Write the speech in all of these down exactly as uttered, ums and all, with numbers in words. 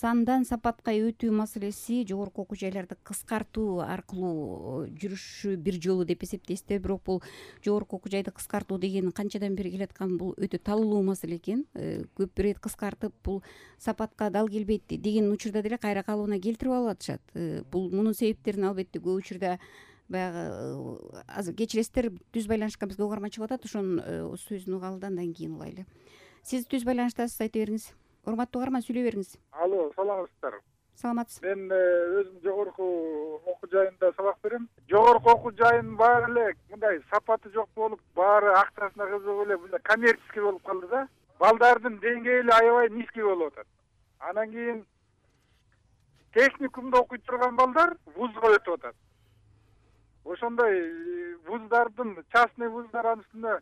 сандан сапатка өтүү маселеси жогорку окуу жайларды кыскартуу аркылуу жүрүшү бир жолу деп эсептейсиздер. Бирок бул жогорку окуу жайды кыскартуу деген канчадан бери келаткан бул өтө талуулуу маселе экен. Көп ирет кыскартып бул сапатка дал келбейт деген учурда деле кайра калыбына келтирип алып атышат. Бул мунун себептерин албетте көп учурда баягы азыр кечиресиздер, түз байланышка бизге угарманчы атат, ошонун сөзүн угалы да андан кийин улайлы. Сиз түз байланыштасыз, айта бериңиз. Урматтуу угарман, сүйлөй бериңиз. Алло, саламатсыздар. Саламатсыз. Мен өзүм жогорку окуу жайында сабак берем. Жогорку окуу жайынын баары эле мындай сапаты жок болуп, баары акчасына кызыгып эле мындай коммерческий болуп калды да. Балдардын деңгээли аябай низкий болуп атат. Анан кийин техникумда окуй турган балдар вузга өтүп атат. Ошондой вуздардын, частный вуздар үстүнө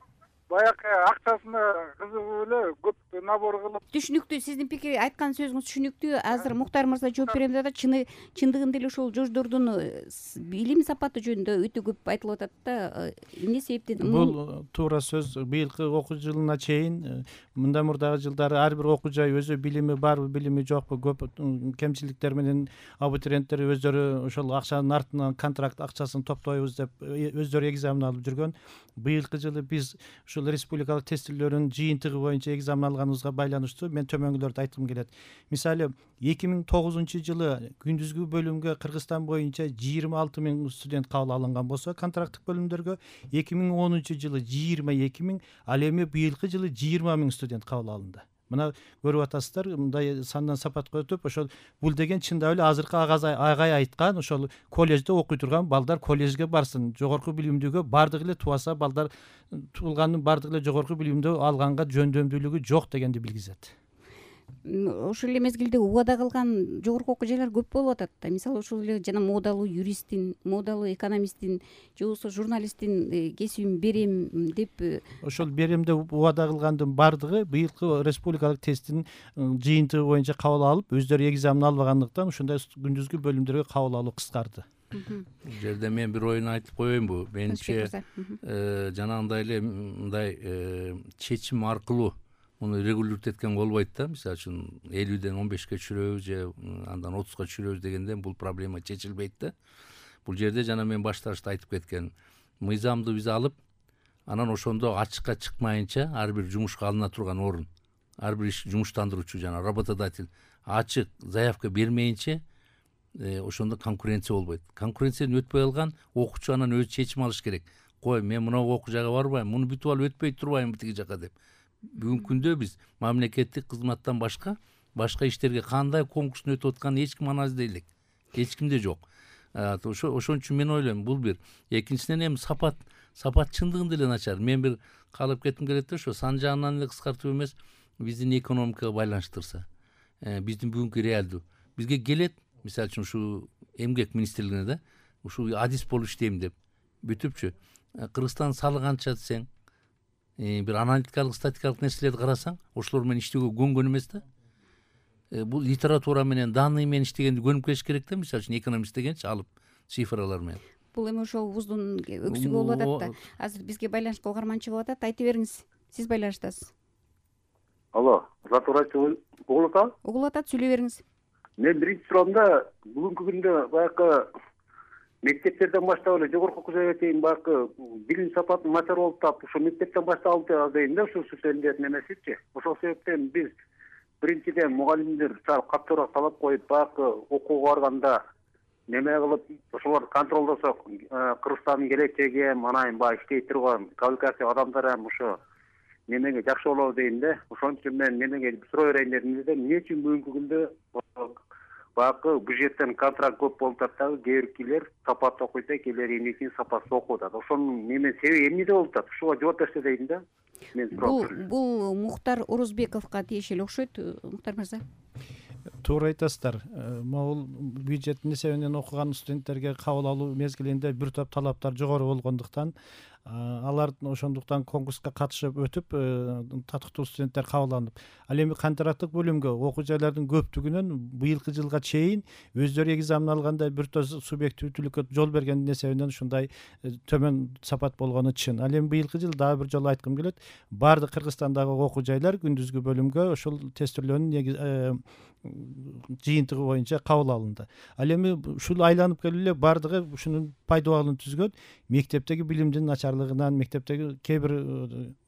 баягы акчасына кызыгып эле көп набор кылып. Түшүнүктүү, сиздин пикир, айткан сөзүңүз түшүнүктүү. Азыр Муктар мырза жооп берем деп атат. Чыны чындыгында эле ошол жождордун билим сапаты жөнүндө өтө көп айтылып атат да. Эмне себептен? Бул туура сөз. Быйылкы окуу жылына чейин мындан мурдагы жылдары ар бир окуу жай өзү билими барбы, билими жокпу, көп кемчиликтер менен абитуриенттер өздөрү ошол акчанын артынан контракт акчасын топтойбуз деп өздөрү экзамен алып жүргөн. Быйылкы жылы биз ушул республикалык тестилөөрүн жыйынтыгы боюнча экзамен алганыбызга байланыштуу мен төмөнгүлөрдү айткым келет. Мисалы, эки миң тогузунчу жылы күндүзгү бөлүмгө Кыргызстан боюнча жыйырма алты миң студент кабыл алынган болсо, контракттык бөлүмдөргө эки миң онунчу жылы жыйырма эки миң, ал эми быйылкы жылы жыйырма миң студент кабыл алынды. Мына көрүп атасыздар, мындай сандан сапатка өтүп, ошол бул деген чындап эле азыркы агай айткан, ошол колледжде окуй турган балдар колледжге барсын, жогорку билимдүүгө бардыгы эле тубаса балдар туулганын бардыгы эле жогорку билимдүү алганга жөндөмдүүлүгү жок дегенди билгизет. Ошол эле мезгилде убада кылган жогорку окуу жайлар көп болуп атат да. Мисалы, ошол эле жана модалуу юристтин, модалуу экономисттин же болбосо журналисттин кесибин берем деп. Ошол берем деп убада кылгандын бардыгы быйылкы республикалык тесттин жыйынтыгы боюнча кабыл алып, өздөрү экзамен албагандыктан ушундай күндүзгү бөлүмдөргө кабыл алуу кыскарды. Бул жерде мен бир оюн айтып коеюнбу? Менимче жанагындай эле мындай чечим аркылуу муну регулировать эткен болбойт да. Мисалы үчүн элүүдөн он бешке түшүрөбүз же андан отузга түшүрөбүз дегенде бул проблема чечилбейт да. Бул жерде жана мен башташта айтып кеткен мыйзамды биз алып, анан ошондо ачыкка чыкмайынча ар бир жумушка алына турган орун, ар бир иш жумуштандыруучу жана работодатель ачык заявка бермейинче ошондо конкуренция болбойт. Конкуренциядан өтпөй калган окуучу анан өзү чечим алыш керек. Кой, мен мына окуу жайга барбайм, муну бүтүп алып өтпөй турбайбы тиги жака деп. Бүгүнкү күндө биз мамлекеттик кызматтан башка башка иштерге кандай конкурстун өтүп атканын эч ким анализдей элек. Эч кимде жок. Ошон үчүн мен ойлойм, бул бир. Экинчиден эми сапат, сапат чындыгында эле начар. Мен бир калып кетким келет да, ошо сан жагынан эле кыскартып эмес, биздин экономикага байланыштырса, биздин бүгүнкү реалдуу бизге келет. Мисалы үчүн ушу эмгек министрлигине да, ушу адис болуп иштейм деп бүтүпчү. Кыргызстан салык канча десең, бир аналитикалык, статикалык нерселерди карасаң, ошолор менен иштөөгө көнгөн эмес да. Бул литература менен, данный менен иштегенди көнүп келиш керек да, мисалы үчүн экономист дегенчи, алып цифралар менен. Бул эми ошол вуздун өксүгү болуп атат да. Азыр бизге байланышка угарманчы болуп атат. Айта бериңиз. Сиз байланыштасыз. Алло, Латурачы угулуп атат? Угулуп атат, сүйлөй бериңиз. Мен биринчи суроомда бүгүнкү күндө баягы мектептерден баштап эле жогорку окуу жайга чейин баягы билим сапаты начар болуп атат. Ошо мектептен баштап алып дейм да, ушул сөзлөрдүн эмесичи. Ошол себептен биз биринчиден мугалимдер катуураак талап коюп, баягы окууга барганда неме кылып, ошолорду контролдосок, Кыргызстандын келечеги эм, анан баягы иштей турган квалификация адамдар эм ошо немеге жакшы болобу дейм да. Ошон үчүн мен немеге суроо берейин дедим да, эмне үчүн бүгүнкү күндө баягы бюджеттен контракт көп болуп атат дагы, кээ биркилер сапаттуу окуйт, кээлери эмне сапатсыз окуп атат. Ошонун неме себеби эмнеде болуп атат? Ушуга жооп берсе дейм да. Мен суроо бердим. Бул Муктар Орозбековго тиешелүү окшойт, Муктар мырза. Туура айтасыздар. Могул бюджеттин эсебинен окуган студенттерге кабыл алуу мезгилинде бир топ талаптар жогору болгондуктан алар ошондуктан конкурска катышып өтүп татыктуу студенттер кабыл алынып, ал эми контракттык бөлүмгө окуу жайлардын көптүгүнөн быйылкы жылга чейин өздөрү экзамен алганда бир тоз субъективдүүлүккө жол бергендин эсебинен ушундай төмөн сапат болгону чын. Ал эми быйылкы жылы дагы бир жолу айткым келет, баардык Кыргызстандагы окуу жайлар күндүзгү бөлүмгө ошол тестирлөөнүн жыйынтыгы боюнча кабыл алынды. Ал эми ушул айланып келип эле баардыгы ушунун пайдабалын түзгөн, мектептеги билимдин начарлыгынан, мектептеги кээ бир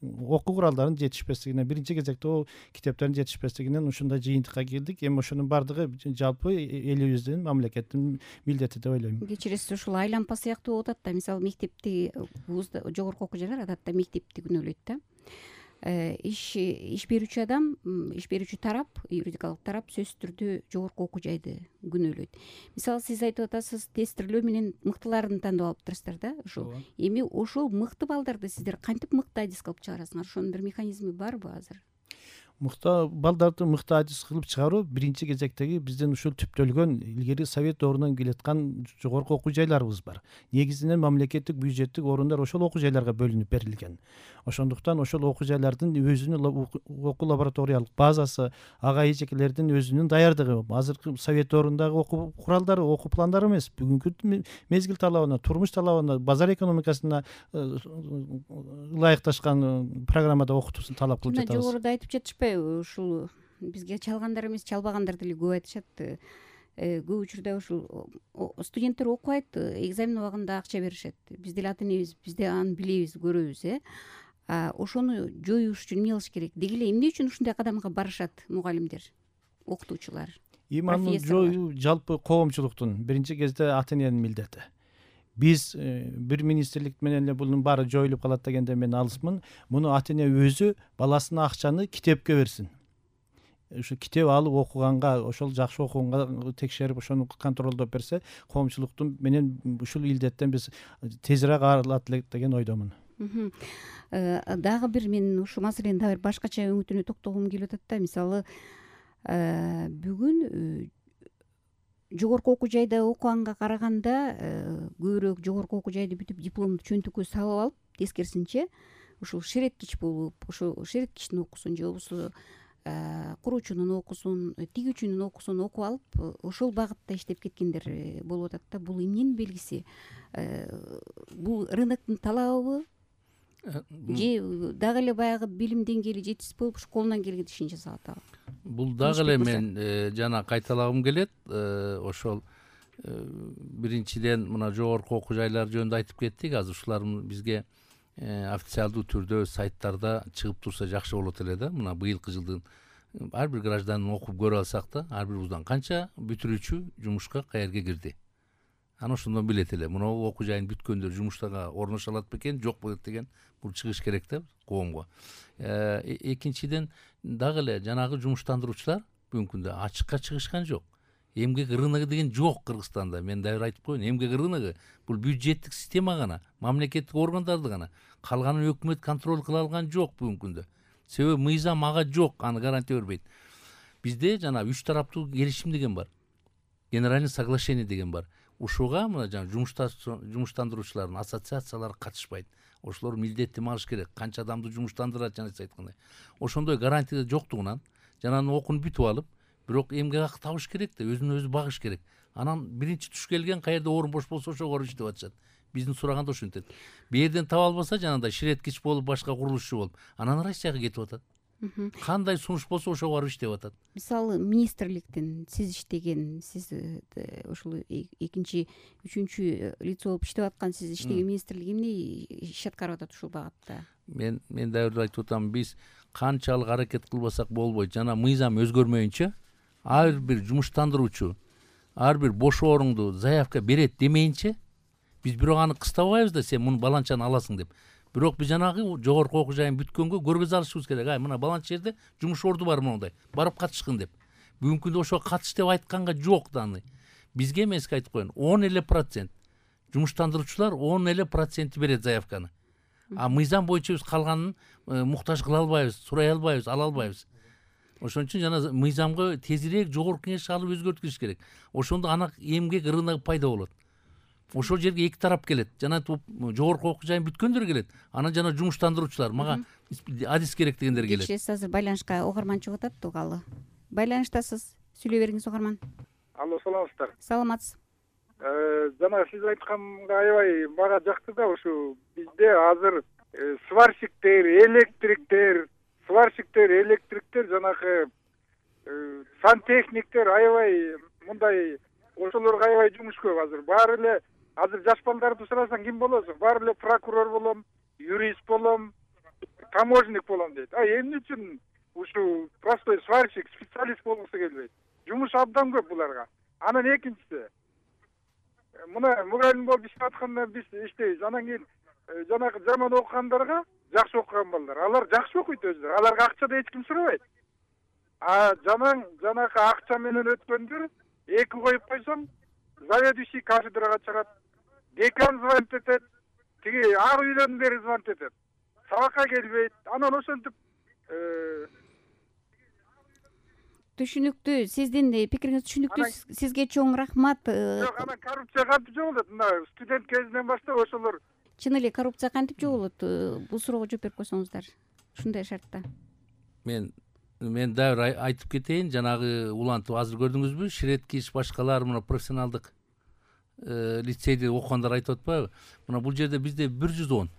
окуу куралдарынын жетишпестигинен, биринчи кезекте о китептердин жетишпестигинен ушундай жыйынтыкка келдик. Эми ошонун баардыгы жалпы элибиздин, мамлекеттин милдети деп ойлойм. Кечиресиз, ушул айланпа сыяктуу болуп атат да. Мисалы мектепти, вузда, жогорку окуу жайлар адатта мектепти күнөөлөйт да. иш иш берүүчү адам, иш берүүчү тарап, юридикалык тарап сөзсүз түрдө жогорку окуу жайды күнөөлөйт. Мисалы сиз айтып атасыз, тестирлөө менен мыктыларын тандап алыптырсыздар да. Ошол эми ошол мыкты балдарды сиздер кантип мыкты адис кылып чыгарасыңар? Ошонун бир механизми барбы азыр? Мыкты балдарды мыкты адис кылып чыгаруу биринчи кезектеги биздин ушул түптөлгөн илгери совет ордунан келаткан жогорку окуу жайларыбыз бар. Негизинен мамлекеттик бюджеттик орундар ошол окуу жайларга бөлүнүп берилген. Ошондуктан ошол окуу жайлардын өзүнүн окуу лабораториялык базасы, ага эжекелердин өзүнүн даярдыгы, азыркы совет ордундагы окуу куралдары, окуу пландары эмес, бүгүнкү мезгил талабына, турмуш талабына, базар экономикасына ылайыкташкан программада окутуусун талап кылып жатабыз. Жогоруда айтып жатышпайбы, ушул бизге чалгандар эмес, чалбагандар деле көп айтышат. Көп учурда ушул студенттер окуйт, экзамен убагында акча беришет. Биз деле ата энебиз, биз да аны билебиз, көрөбүз, э. Ошону жоюш үчүн эмне кылыш керек? Деги эле эмне үчүн ушундай кадамга барышат мугалимдер, окутуучулар? Эми аны жоюу жалпы коомчулуктун, биринчи кезде ата эненин милдети. Биз бир министрлик менен эле bunun баары жоюлуп калат дегенде мен алысмын. Муну ата эне өзү баласына акчаны китепке берсин. Ушу китеп алып окуганга, ошол жакшы окуганга текшерип, ошону контролдоп берсе, коомчулуктун менен ушул илдеттен биз тезирээк арылат элек деген ойдомун. Дагы бир мен ушул маселенин дагы бир башкача өңүтүнө токтогум келип атат да. Мисалы, бүгүн жогорку окуу жайда окуганга караганда көбүрөөк жогорку окуу жайды бүтүп дипломду чөнтүккө салып алып, тескерисинче ушул шереткич болуп, ошол шереткичтин окуусун же болбосо куруучунун окуусун, тигүүчүнүн окуусун окуп алып, ошол багытта иштеп кеткендер болуп атат да. Бул эмненин белгиси? Бул рыноктун талабыбы? Же дагы эле баягы билим деңгээли жетишсиз болуп, ушу колунан келген ишин жасап атабы? Бул дагы эле мен жана кайталагым келет. Ошол биринчиден мына жогорку окуу жайлар жөнүндө айтып кеттик. Азыр ушулар бизге официалдуу түрдө сайттарда чыгып турса жакшы болот эле да. Мына быйылкы жылдын ар бир гражданин окуп көрө алсак да, ар бир вуздан канча бүтүрүүчү жумушка каерге кирди. Аны ошондон билет эле. Мына окуу жайын бүткөндөр жумуштарга орношо алат бекен, жок болот деген бул чыгыш керек да коомго. Экинчиден дагы эле жанагы жумуштандыруучулар бүгүнкү күндө ачыкка чыгышкан жок. Эмгек рыногу деген жок Кыргызстанда. Мен дагы айтып коеюн, эмгек рыногу бул бюджеттик система гана, мамлекеттик органдарды гана. Калганын өкмөт контроль кыла алган жок бүгүнкү күндө. Себеби мыйзам ага жок, аны гарантия бербейт. Бизде жана үч тараптуу келишим деген бар. Генеральный соглашение деген бар. Ушуга мына жана жумуштандыруучулардын ассоциациялары катышпайт. Ошолор милдеттенме алыш керек. Канча адамды жумуштандырат жана сиз айткандай. Ошондой гарантия жоктугунан жананын окуун бүтүп алып, бирок эмгек акы табыш керек да, өзүн өзү багыш керек. Анан биринчи туш келген каерде орун бош болсо ошого иштеп атышат. Биздин сураганда ошентет. Бу жерден таба албаса жанагындай ширеткич болуп, башка курулушчу болуп, анан Россияга кетип атат. Кандай сунуш болсо ошого барып иштеп атат. Мисалы, министрликтин сиз иштеген, сиз ушул экинчи, үчүнчү лицо болуп иштеп аткан, сиз иштеген министрлик эмне иш аткарып атат ушул багытта? Мен мен дагы айтып атам, биз канчалык аракет кылбасак болбойт. Жана мыйзам өзгөрмөйүнчө ар бир жумуштандыруучу ар бир бош орунду заявка берет демейинче биз бирок аны кыстабайбыз да, сен муну баланчаны аласың деп. Бирок биз жанагы жогорку окуу жайын бүткөнгө көргөзө алышыбыз керек. Ай, мына баланча жерде жумуш орду бар мондай. Барып катышкын деп. Бүгүнкү күндө ошого катыш деп айтканга жок да аны. Бизге эмески айтып коеюн, он эле процент жумуштандыруучулар он эле процент берет заявканы. А мыйзам боюнча биз калганын муктаж кыла албайбыз, сурай албайбыз, ала албайбыз. Ошон үчүн жана мыйзамга тезирээк жогорку кеңеш алып өзгөрткүш керек. Ошондо ана эмгек рыногу пайда болот. ошол жерге эки тарап келет. жана жогорку окуу жайын бүткөндөр келет, анан жана жумуштандыруучулар мага адис керек дегендер келет. кечиресиз, азыр байланышка угарман чыгып атат угалы. Байланыштасыз, сүйлөй бериңиз угарман. Алло, саламатсыздар? Саламатсыз. Жана сиз айтканга аябай мага жакты да, ушу бизде азыр сварщиктер, электриктер, сварщиктер, электриктер, жанагы сантехниктер аябай мындай ошолорго аябай жумуш көп азыр. Баары эле азыр жаш балдарды сурасаң ким болосуң? Баары эле прокурор болом, юрист болом, таможник болом дейт. А эмне үчүн ушу простой сварщик, специалист болгусу келбейт? Жумуш абдан көп буларга. Анан экинчиси, мына мугалим болуп иштеп атканда биз иштейбиз. Анан кийин жанагы жаман окугандарга жакшы окуган балдар, алар жакшы окуйт өзүлөрү. Аларга акча да эч ким сурабайт. А жаман жанагы акча менен өткөндөр эки коюп койсоң, заведующий кафедрага чыгат, декан звонит этет, тиги ар үйлөрдөн бери звонит этет. Сабакка келбейт. Анан ошентип түшүнүктүү, сиздин пикириңиз түшүнүктүү. Сизге чоң рахмат. Жок, анан коррупция кантип жогулат? Мына студент кезинен баштап ошолор. Чын эле коррупция кантип жогулат? Бул суроого жооп берип койсоңуздар. Ушундай шартта. Мен мен дагы айтып кетейин, жанагы улантып азыр көрдүңүзбү, Ширеткич башкалар мына профессионалдык лицейде окугандар айтып атпайбы? Мына бул жерде бизде бир жүз он,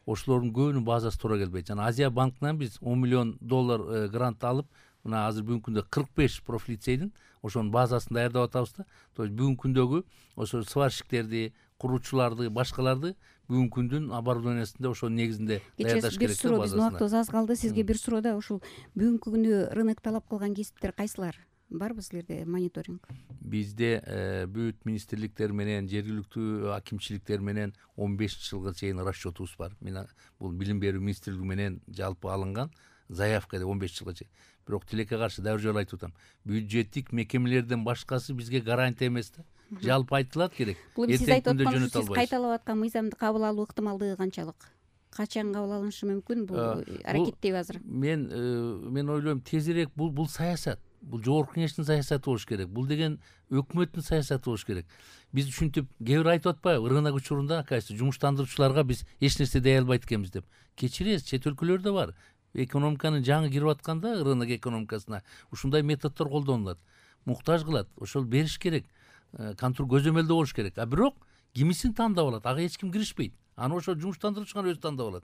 ошолордун көбүнүн базасы туура келбейт. Жана Азия банкынан биз он миллион доллар грант алып, мына азыр бүгүнкү күндө кырк беш профлицейдин ошонун базасын даярдап атабыз да. То есть бүгүнкү күндөгү ошо сварщиктерди, куруучуларды, башкаларды бүгүнкү күндүн оборудованиясында ошонун негизинде даярдаш керек. Бир суроо, биздин убактыбыз аз калды. Сизге бир суроо да, ушул бүгүнкү күндө рынок талап кылган кесиптер кайсылар? Барбы силерде мониторинг? Бизде бүт министрликтер менен, жергиликтүү акимчиликтер менен он бешинчи жылга чейин расчетубуз бар. Мен бул билим берүү министрлиги менен жалпы алынган заявка деп он беш жылга чейин. Бирок тилекке каршы дагы бир жолу айтып атам. Бюджеттик мекемелерден башкасы бизге гарантия эмес да. Жалпы айтылат керек. Бул сиз айтып аткан, сиз кайталап аткан мыйзамды кабыл алуу ыктымалдыгы канчалык? Качан кабыл алынышы мүмкүн? Бул аракеттеби азыр? Мен мен ойлойм, тезирээк бул бул саясат. Бул жогорку кеңештин саясаты болуш керек. Бул деген өкмөттүн саясаты болуш керек. Биз ушинтип кээ бир айтып атпайбы, рынок учурунда кайсы жумуштандыруучуларга биз эч нерсе дей албайт экенбиз деп. Кечиресиз, чет өлкөлөрдө бар. Экономиканын жаңы кирип атканда, рынок экономикасына ушундай методдор колдонулат. Муктаж кылат, ошол бериш керек. Контроль көзөмөлдөө болуш керек. А бирок кимисин тандап алат, ага эч ким киришпейт. Аны ошо жумуштандыруучу гана өзү тандап алат.